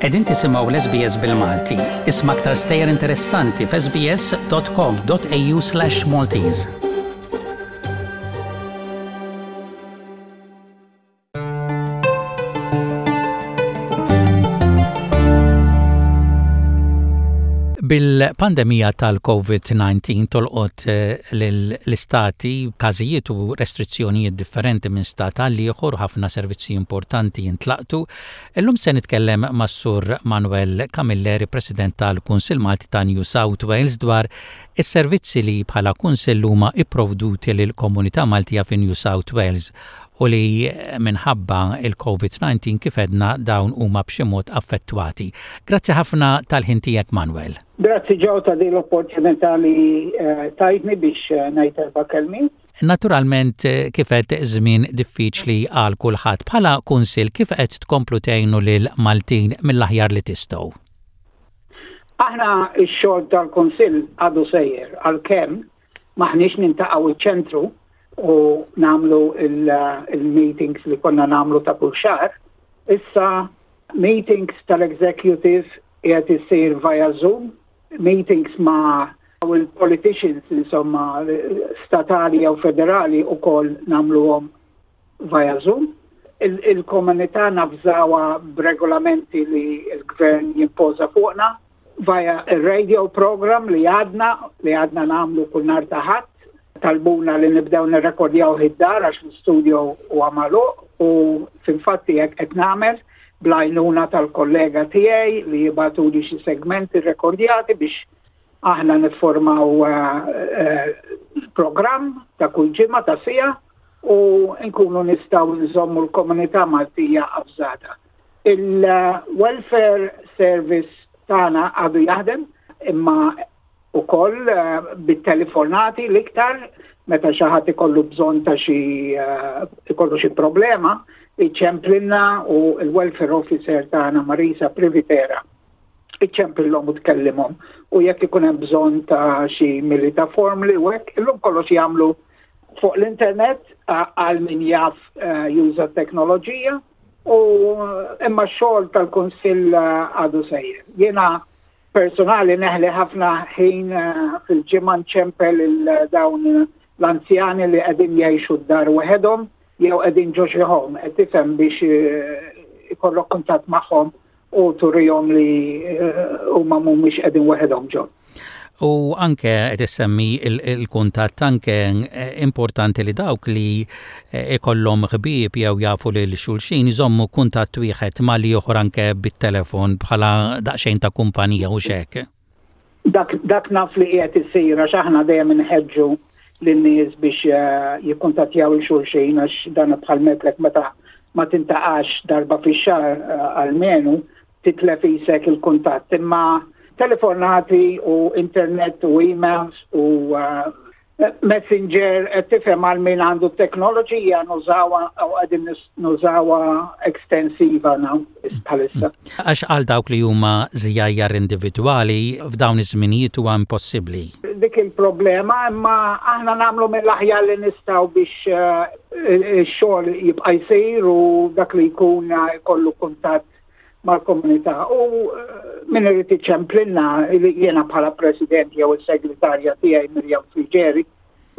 Qegħdin tisimgħu l-SBS bil-Malti. Isma' aktar stejjer interessanti f'sbs.com.au/Maltese. Bil-pandemija tal-COVID-19 tolqot eh, l-istati każijiet u restrizzjonijiet differenti minn stat għal ieħor ħafna servizzi importanti jintlaqtu. Illum se nitkellem mas-Sur Manuel Camilleri, President tal-Kunsill Malti ta' New South Wales dwar is-servizzi li bħala kunsill huma ipprovduti lill-komunità Maltija fi New South Wales u li minħabba il-COVID-19 kif għedna dawn huma b'xi mod affettwati. Grazzi ħafna tal-ħin tiegħek Manuel. Grazzi Joe ta' din l-opportunità li eh, tajtni biex eh, ngħid erba' kelmiet. Naturalment eh, kif qed żmien diffiċli għal kulħadd bħala kunsill kif qed tkomplu tgħinu lil Maltin mill-aħjar li tistgħu? Aħna x-xogħol tal-kunsill għadu sejjer għalkemm M'aħniex nintaqgħu iċ-ċentru u nagħmlu il-meetings li konna nagħmlu ta' kull xahar. Issa meetings tal-executive qiegħed isir via Zoom, meetings ma' il-politicians insomma statali jew federali ukoll nagħmluhom via Zoom. Il-komunità nafżawha b'regolamenti li l-gvern jimpoża fuqna via il-radio program li għadna li għadna nagħmlu kull nhar ta' Ħadd. Talbuna li nibdew nirrekordjaw id-dar għax l-studio huwa magħluq u fil-fatti hekk qed nagħmel bl-għajnuna tal-kollega tiegħi li jibagħtuli xi segmenti rekordjati biex aħna niffurmaw eh, eh, programm ta' kull ġimgħa ta' sija u nkunu nistgħu nżommu l-komunità Maltija avżata. Il-welfare service tagħna għadu jaħdem imma ukoll eh, bit-telefonati l-iktar meta xi ħadd ikollu bżonn ta' xi eh, ikollu xi problema, iċemplilna u l-welfare officer tagħna Marisa Privitera iċċempillhom u tkellimhom u jekk ikun hemm bżonn ta' xi milita formli u hekk, illum kollox jagħmlu fuq l-internet għal min jaf eh, juża t-teknoloġija u imma x-xogħol tal-Kunsill eh, għadu sejjer. Jiena personali neħli ħafna ħin eh, fil-ġimgħa nċempel il-dawn l-anzjani li qegħdin jgħixu d-dar waħedhom jew qegħdin ġo xi home, qed tifhem biex ikollok kuntatt magħhom u turihom li eh, huma mhumiex qegħdin waħedhom ġo. U anke qed issemmi il-kuntatt anke eh, importanti li dawk li eh, ikollhom ħbieb jew jafu lil xulxin iżommu kuntatt wieħed ma' ieħor anke bit-telefon bħala daqsxejn ta' kumpanija u xek. Dak, dak naf li qiegħed isir għax aħna dejjem inħeġġu lin-nies biex eh, jikkuntattjaw il xulxin għax dan bħal metlek meta ma tintaqax darba fix-xahar eh, almenu titlef isek il-kuntatt. Imma telefonati u internet u emails u eh, Messenger qed tifhem għal min għandu t-teknoloġija nużawha u qegħdin nużawha ekstensiva now bħalissa. Għax għal dawk li huma żjajjar individwali f'dawn iż-żminijiet huwa impossibbli. Dik il-problema imma aħna nagħmlu mill-aħjar li nistgħu biex eh, ix-xogħol jibqa' jsir u dak li jkun jkollu kuntatt mal-komunità u eh, min irid iċemplilna jiena bħala president jew is-segretarja tiegħi Mirjam Frigeri,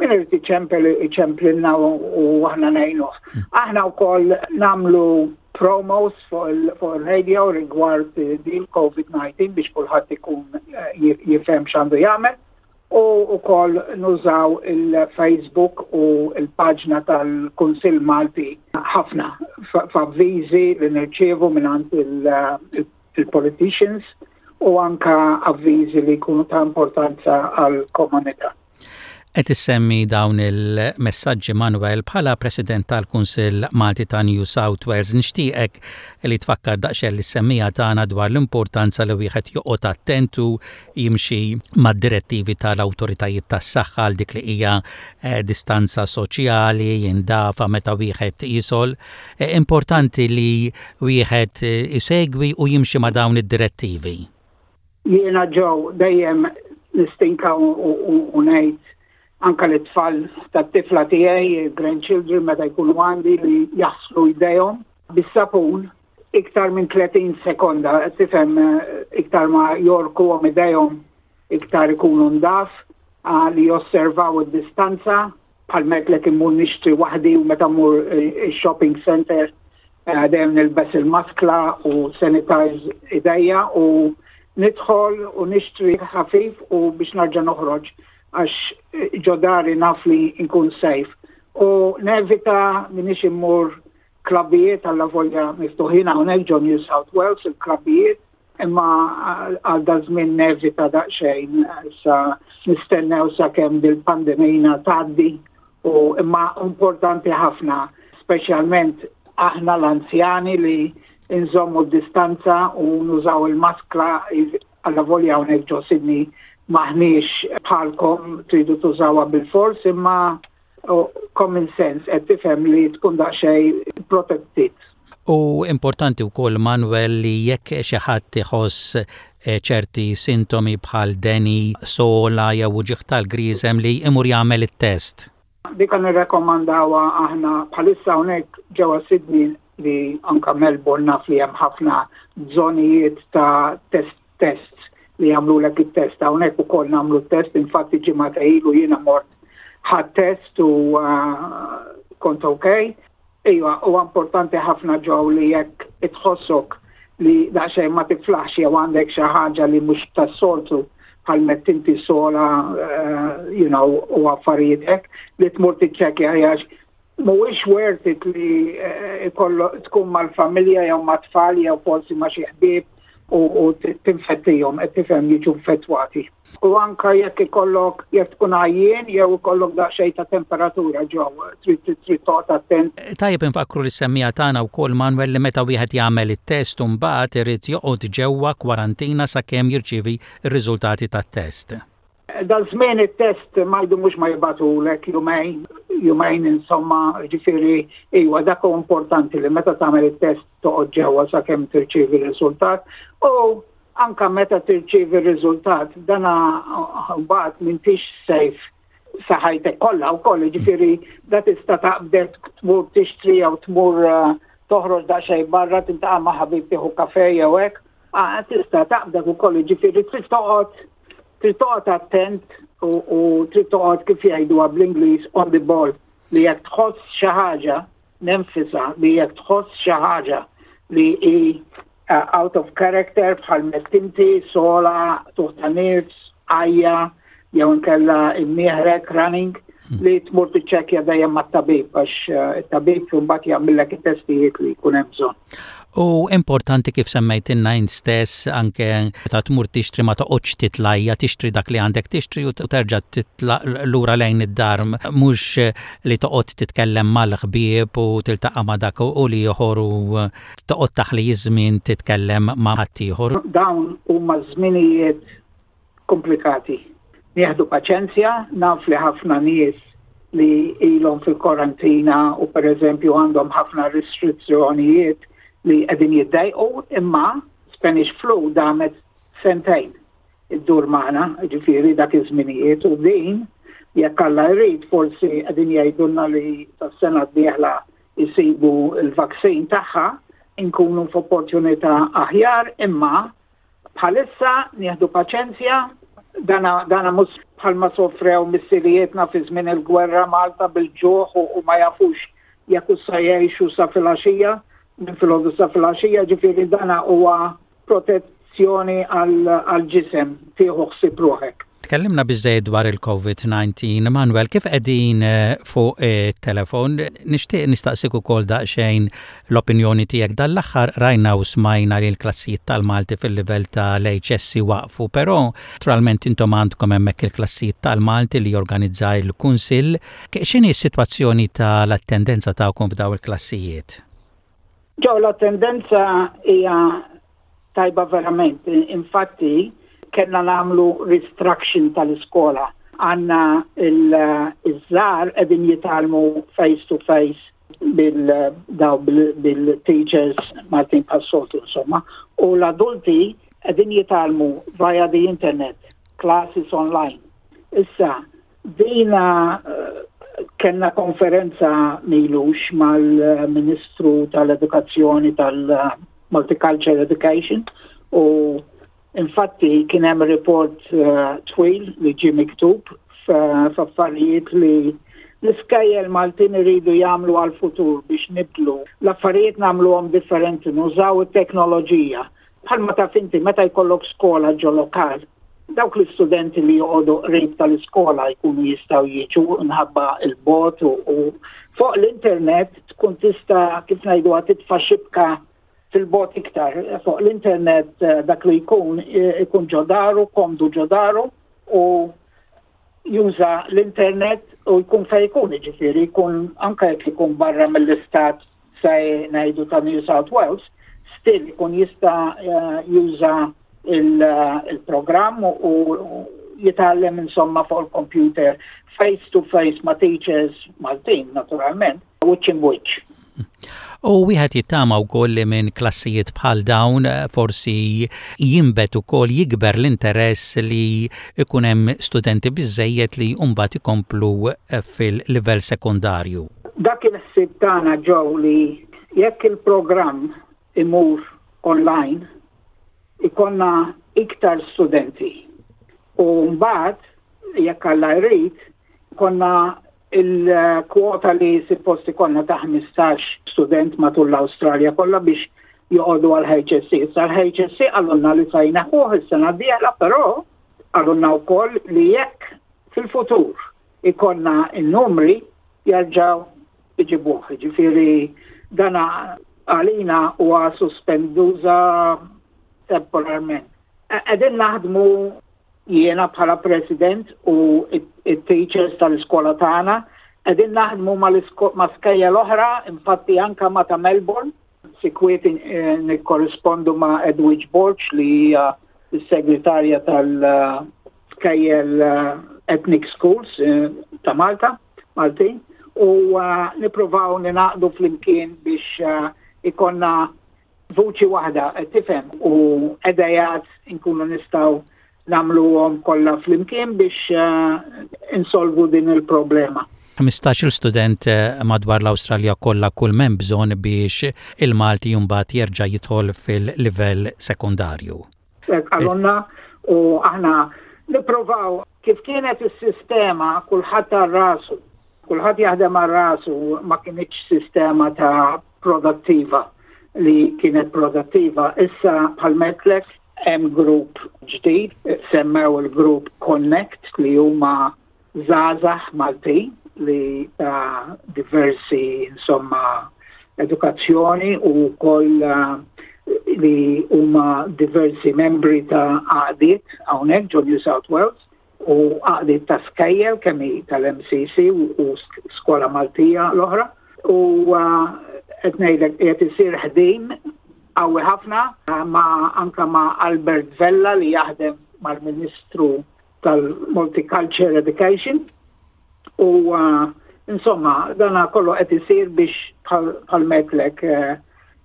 min irid iċempel iċemplilna u aħna ngħinuh. Hmm. Aħna wkoll nagħmlu promos fuq il-radio rigward din COVID-19 biex kulħadd ikun eh, jifhem x'għandu jagħmel u wkoll nużaw il-Facebook u l-paġna tal-Kunsill Malti ħafna f'avviżi li nirċievu mingħand il-politicians u anka avviżi li jkunu ta' importanza għall-komunità. Qed issemmi dawn il-messaġġi Manuel bħala President tal-Kunsill Malti ta' New South Wales nixtieqek li tfakkar daqsxejn lis-semmiegħa tagħna dwar l-importanza li wieħed joqgħod attent u jimxi mad-direttivi tal-awtoritajiet tas-saħħa għal dik li hija eh, distanza soċjali, jindafa meta wieħed jisol. Eh, importanti li wieħed eh, isegwi u jimxi ma' dawn id-direttivi. Jiena ġew dejjem nistinka u ngħid anka li tfal tat-tifla tiegħi, grandchildren meta jkunu għandi li jaħslu jdejhom bis-sapun. Iktar minn 30 sekonda, tifhem iktar ma jogħrkuhom idejhom iktar ikunu ndaf, li josservaw id-distanza, bħal għedtlek immur nixtri waħdi u meta mmur shopping center dejjem nilbes il-maskla u sanitize idejja u nidħol u nixtri ħafif u biex narġa' noħroġ għax ġo dari naf li nkun safe. U nevita minix immur klabijiet għallavolja miftuħin hawnhekk ġo New South Wales il-klabijiet imma għal daż-żmien nevita daqsxejn sa nistennew sakemm dil-pandemija tgħaddi u imma importanti ħafna speċjalment aħna l-anzjani li nżommu d-distanza u nużaw il-maskla għallavolja hawnhekk ġo Sydney m'aħniex bħalkom tridu tużawha bil-fors imma common sense qed tifhem li tkun daqsxejn protected. U importanti wkoll Manuel li jekk xi ħadd iħoss eh, ċerti sintomi bħal deni, sogħla jew uġigħ tal-griżem li imur jagħmel it-test. Dik nirrekomandawha aħna bħalissa hawnhekk ġewwa Sydney li anka Melbourne naf li hemm ħafna żonijiet ta' test tests li jagħmlulek it-test hawnhekk ukoll nagħmlu test infatti ġimgħa ilu jiena mort ħadt test u kont okay. Iva, huwa importanti ħafna ġew li jekk itħossok li daqsxejn ma tiflaħx jew għandek xi ħaġa li mhux tas-soltu bħal meta inti sogħla you know, u affarijiet hekk li tmur tiċċekkja għax mhuwiex worth it li ikollu tkun mal-familja jew mat-tfal jew forsi ma' xi ħbieb u tinfettihom qed tifhem jiġu infettwati. U anka jekk ikollok jekk tkun għajjien jew ikollok daqsxejn ta' temperatura ġew trid trid toqgħod attent. Tajjeb infakkru lis-semmiegħa tagħna wkoll Manuel li meta wieħed jagħmel it-test u mbagħad irid joqgħod ġewwa kwarantina sakemm jirċievi r-riżultati tat-test. Dal-żmien it-test ma jdumux ma jibagħtulek jumejn, jumejn insomma, ġifieri iwa dak hu importanti li meta tagħmel it-test toqgħod ġewwa sakemm tirċievi r-riżultat u anka meta tirċievi r-riżultat dana mbagħad m'intix safe sa ħajtek kollha wkoll, ġifieri da tista' taqbdek tmur tixtri jew tmur toħroġ daqsxejn barra tiltaqa' ma' ħabib tieħu kafe jew hekk, tista' taqbdek ukoll, ġifieri trid toqgħod trid toqgħod attent u trid toqgħod kif jgħiduha bl-Ingliż on the ball li jekk tħoss xi ħaġa nenfasizza li jekk tħoss xi ħaġa li hi out of character bħal mettinti, sogħla, tuħ ta' nifs, għajja, jew inkella imnieħrek running, li tmur tiċċekkja dejjem mat-tabib għax it-tabib mbagħad jagħmillek it-testijiet li jkun hemm bżonn. U importanti kif semmejtilna int stess anke meta tmur tixtri ma toqgħodx titlajja, tixtri dak li għandek tixtri u terġa' titla' lura lejn id-dar mhux li toqgħod titkellem mal-ħbieb u tiltaqa' ma' dak u l-ieħor u toqgħod taħli żmien titkellem ma' ħaddieħor. Dawn huma żminijiet komplikati. Nieħdu paċenzja, naf li ħafna nies li ilhom fil-korantina u per eżempju għandhom ħafna restrizzjonijiet li qegħdin jiddejqu, imma Spanish flu damet sentejn iddur magħna, ġifieri dak iż-żminijiet u din jekk Alla jrid forsi qegħdin jgħidulna li tas-sena d-dieħla jsibu l-vaccine tagħha inkunu f'opportunità aħjar imma bħalissa nieħdu paċenzja dana, dana mhux bħalma sofrew missirijietna fi żmien il-gwerra Malta bil-ġuħ u, u ma jafux jekk sa jgħixu sa filgħaxija, minn filgħodu sa filgħaxija, ġifieri dana huwa protezzjoni għal-ġisem tieħu ħsieb ruħek. Tkellimna biżejjed dwar il-COVID-19. Manuel, kif qegħdin fuq it-telefon, nixtieq nistaqsik ukoll daqsxejn l-opinjoni tiegħek dan l-aħħar rajna u smajna li l-klassijiet tal-Malti fil-livell tal-HSC waqfu, però naturalment intom għandkom hemmhekk il-klassijiet tal-Malti li jorganizza il-Kunsill. X'inhi s-sitwazzjoni tal-attendenza tagħkom f'daw il-klassijiet? Ġew l-attendenza hija tajba verament. Infatti, kellna nagħmlu restructuring tal-iskola. Għandna iż-żgħar qegħdin jitgħallmu face to face bil-daw bil-teachers Martin Passotu insomma, u l-adulti qegħdin jitgħallmu via the internet, classes online. Issa, dina kellna konferenza m'ilux mal-Ministru tal-Edukazzjoni tal- Multicultural Education u infatti kien hemm report twil li ġie miktub f'affarijiet li l-iskejjel Maltin iridu jagħmlu għall-futur biex nibdlu l-affarijiet nagħmluhom differenti, nużaw it-teknoloġija. Bħalma taf inti meta jkollok skola ġo lokal, dawk l-istudenti li joqogħdu qrib tal-iskola jkunu jistgħu jiġu minħabba l-bogħod u fuq l-internet tkun tista' kif ngħiduha titfa' xibka fil-bogħod iktar. Fuq l-internet eh, dak li jkun eh, ikun ġo daru, komdu ġo daru u juża l-internet u jkun fejn jkun, jiġifieri jkun anke jekk ikun barra mill-istat se ngħidu ta' New South Wales, still ikun jista' eh, juża il-programm u jitgħallem insomma fuq il-computer face to face ma' teachers Maltin naturalment, wiċċ imwiċċ. U wieħed jittama wkoll li minn klassijiet bħal dawn eh, forsi jinbet ukoll jikber l-interess li ikun hemm studenti biżejjed li mbagħad ikomplu eh, fil-livell sekondarju. Dak il-ħsieb tagħna ġew li jekk il-programm imur online ikonna iktar studenti. U mbagħad jekk Alla jrid konna il-kwota li suppost ikollna ta' 15 student matul l-Awstralja kollha biex joqogħdu għal HSC. Issa l-HSC qalulna li sa jneħħuh is-sena d-dieħla, però qalulna wkoll li jekk fil-futur ikollna n-numri jerġgħu iġibuh. Ġifieri dana għalina huwa suspenduża temporarment. Qegħdin naħdmu Jiena bħala President u it-teachers tal-iskola tagħna qegħdin naħdmu ma' skejjel oħra, infatti anka ma' ta' Melbourne, sikwiet eh, nikkorrispondu ma' Edwidge Borg li hija s-segretarja tal-skejjel eh, Ethnic Schools eh, ta' Malta, Maltin, u nippruvaw ninaqdu flimkien biex ikonna vuċi waħda, qed tifhem, u idejat inkunu nistgħu nagħmluhom kollha flimkien biex eh, insolvu din il-problema. 15-il student eh, madwar l-Awstralja kollha kull m'hemm bżonn biex il-Malti mbagħad jerġa' jidħol fil-livell sekondarju. Qalulna u aħna nipprovaw kif kienet is-sistema kulħadd għal rasu, kulħadd jaħdem għal rasu ma kinitx sistema ta' produttiva li kienet produttiva. Issa bħal metlek hemm grupp ġdid, semmew il-grupp Connect li huma żgħażagħ Maltin li ta' diversi insomma edukazzjoni u wkoll eh, li huma diversi membri ta' għaqdiet hawnhekk ġo New South Wales u għaqdiet ta' skejjel kemm hi tal-MCC u Skola Maltija l-oħra u eh, qed ngħidlek qiegħed isir ħdim qawwi ħafna ma' anka ma' Albert Vella li jaħdem mal-Ministru tal-Multicultural Education u uh, insomma dana kollu qed isir biex bħal metlek eh,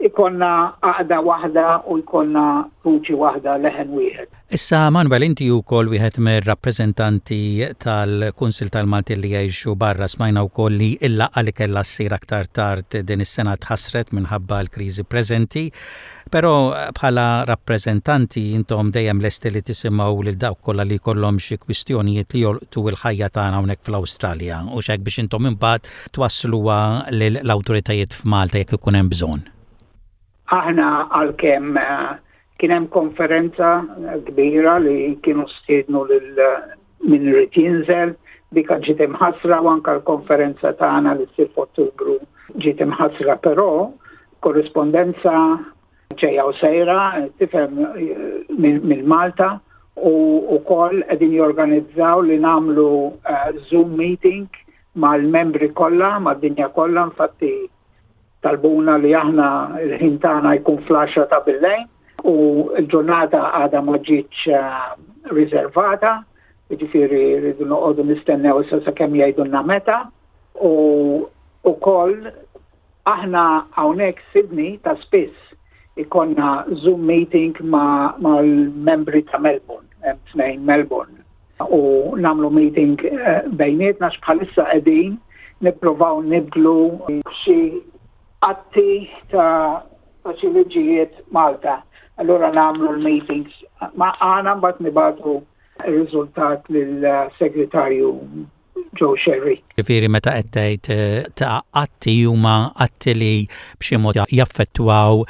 ikonna għaqda waħda u jkollna vuċi waħda leħen wieħed. Issa Manuel inti wkoll wieħed mir-rappreżentanti tal-Kunsil tal-Malti li jgħixu barra smajna wkoll li l-laqgħa li kellha ssir aktar tard din is-sena tħassret minħabba l-kriżi preżenti. Però bħala rappreżentanti intom dejjem lesti li tisimgħu lil dawk kollha li jkollhom xi kwistjonijiet li jolqtu l-ħajja tagħna hawnhekk fl-Awstralja u hekk biex intom imbagħad twassluha lill-awtoritajiet f'Malta jekk ikun hemm bżonn. Aħna għalkemm eh, kien hemm konferenza kbira li kienu stiednu lil min irid jinżel, dik ġiet imħassra u anke l-konferenza tagħna li ssir f'Ottubru ġiet imħassra, però korrispondenza ġejja u sejra, tifhem minn Malta u wkoll qegħdin jorganizzaw li nagħmlu eh, Zoom meeting mal-membri kollha, mad-dinja kollha, infatti talbuna li aħna l-ħin tagħna jkun fl-10 ta' billejn u l-ġurnata għadha ma ġietx eh, riservata, jiġifieri rridu noqogħdu nistennew issa sakemm jgħidulna meta u wkoll aħna hawnhekk Sydney ta' spiss ikonna Zoom meeting mal-membri ta' Melbourne, hemm tnejn Melbourne u namlu meeting eh, bejnietna bħalissa qegħdin nippruvaw nibdlu xi atti ta' ta' xi liġijiet Malta. Allura nagħmlu l-meetings ma' għana mbagħad nibagħtu r-riżultat lill-segretarju Joe Sherry. Ġifieri meta qed tgħid eh, ta' atti huma atti li b'xi mod jaffettwaw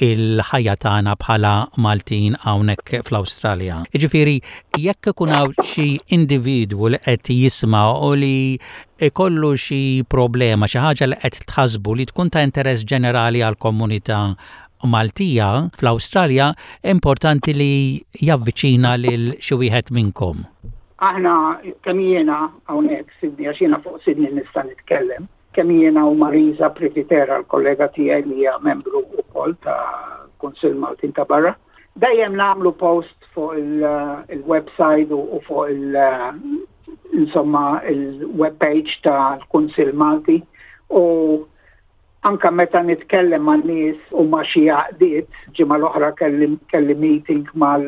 il-ħajja tagħna bħala Maltin hawnhekk fl-Awstralja. Jiġifieri jekk ikun hawn xi individwu li qed jisma' u li ikollu xi problema, xi ħaġa li qed tħassbu li tkun ta' interess ġenerali għall-komunità Maltija fl-Awstralja, importanti li javviċina lil xi wieħed minnkom. Aħna kemm jiena hawnhekk Sydney għax jiena fuq Sydney nista' nitkellem, kemm jiena u Marisa Privitera l-kollega tiegħi li hija membru wkoll ta' Kunsill Maltin ta' barra. Dejjem nagħmlu post fuq il-website u fuq il- insomma il-web page tal-Kunsill Malti u anka meta nitkellem ma' nies u ma' xi għaqdiet, ġimgħa l-oħra kelli, kelli meeting mal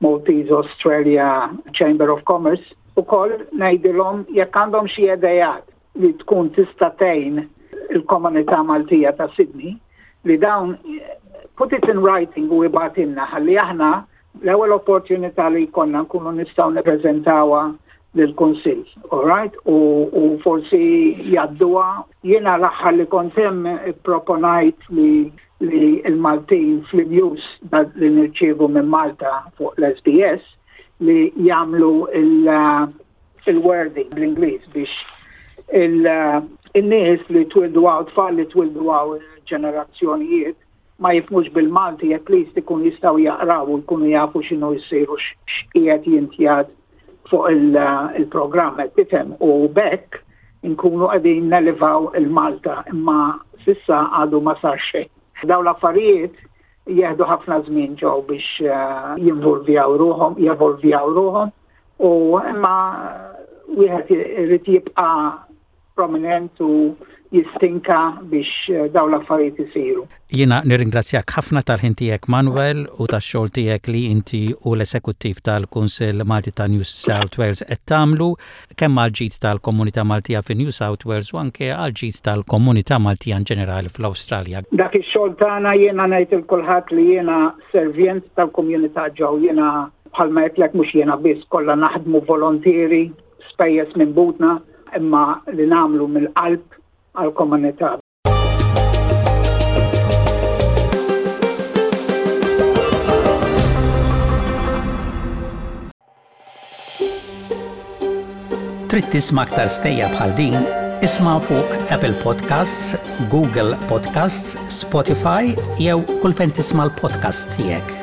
Maltese Australia Chamber of Commerce, ukoll ngħidilhom jekk għandhom xi idejat li tkun tista' tgħin il-komunità Maltija ta' Sydney li dawn put it in writing u ibgħatilna ħalli aħna l-ewwel opportunità li jkollna nkunu nistgħu nippreżentawha lill-Kunsill, all right? U, u forsi jgħadduha. Jiena l-aħħar li kont hemm ipproponajt li li l-Maltin fl-news li nirċievu minn Malta fuq l-SBS li jagħmlu il-wording bl-Ingliż biex il-nies li twildu hawn, tfal li twildu hawn ġenerazzjonijiet ma jifhmux bil-Malti at least ikun jistgħu jaqraw u jkunu jafu x'inhu jsir u x'qiegħed jintjad fuq il-programm qed tifhem u b'hekk inkunu qegħdin nelevaw il-Malta imma s'issa għadu ma sar xejn. Dawn l-affarijiet jieħdu ħafna żmien ġew biex eh, jinvolvjaw ruħhom, jevolvjaw ruħhom u imma wieħed irid jibqa' prominent u jistinka biex eh, dawn l-affarijiet isiru. Jiena nirringrazzjak ħafna tal-ħin tiegħek Manuel u tax-xogħol tiegħek li inti u l-esekuttiv tal-Kunsill Malti ta' New South Wales qed tagħmlu kemm għal ġid tal-komunità Maltija fi New South Wales u anke għal ġid tal-komunità Maltija in ġenerali fl-Awstralja. Dak ix-xogħol tagħna jiena ngħid il kulħadd li jiena servjent tal-komunità ġew jiena bħalma għedtlek mhux jiena biss kollha naħdmu volontieri spejjeż minn butna imma li nagħmlu mill-qalb għall-komunità. Trid tisma' aktar stejjer bħal din? Isma' fuq Apple Podcasts, Google Podcasts, Spotify jew kull fejn tisma' l-podcasts tiegħek.